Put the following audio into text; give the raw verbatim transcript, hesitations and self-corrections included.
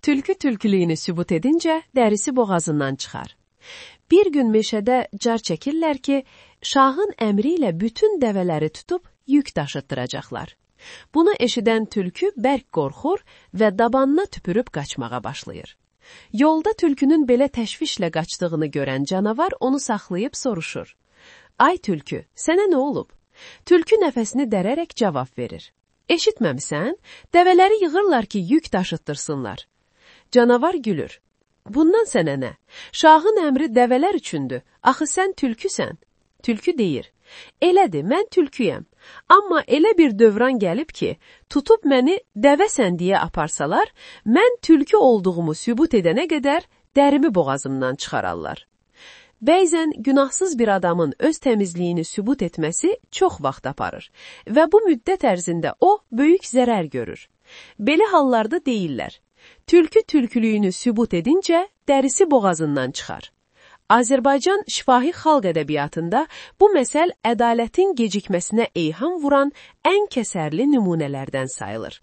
Tülkü tülkülüyünü sübut edince dərisi boğazından çıxar. Bir gün meşədə car çəkirlər ki, şahın əmri ilə bütün dəvələri tutub yük daşıtdıracaqlar. Bunu eşidən tülkü bərk qorxur və dabanına tüpürüb qaçmağa başlayır. Yolda tülkünün belə təşvişlə qaçdığını görən canavar onu saxlayıb soruşur. Ay tülkü, sənə nə olub? Tülkü nəfəsini dərərək cavab verir. Eşitməmisən? Dəvələri yığırlar ki, yük daşıtdırsınlar. Canavar gülür. Bundan sənə nə? Şahın əmri dəvələr üçündür. Axı sən tülküsən. Tülkü deyir. Elədir, mən tülküyəm. Amma elə bir dövran gəlib ki, tutub məni dəvəsən deyə aparsalar, mən tülkü olduğumu sübut edənə qədər dərimi boğazımdan çıxararlar. Bəzən günahsız bir adamın öz təmizliyini sübut etməsi çox vaxt aparır və bu müddət ərzində o, böyük zərər görür. Belə hallarda deyirlər, tülkü tülkülüyünü sübut edincə dərisi boğazından çıxar. Azərbaycan şifahi xalq ədəbiyyatında bu məsəl ədalətin gecikməsinə eyham vuran ən kəsərli nümunələrdən sayılır.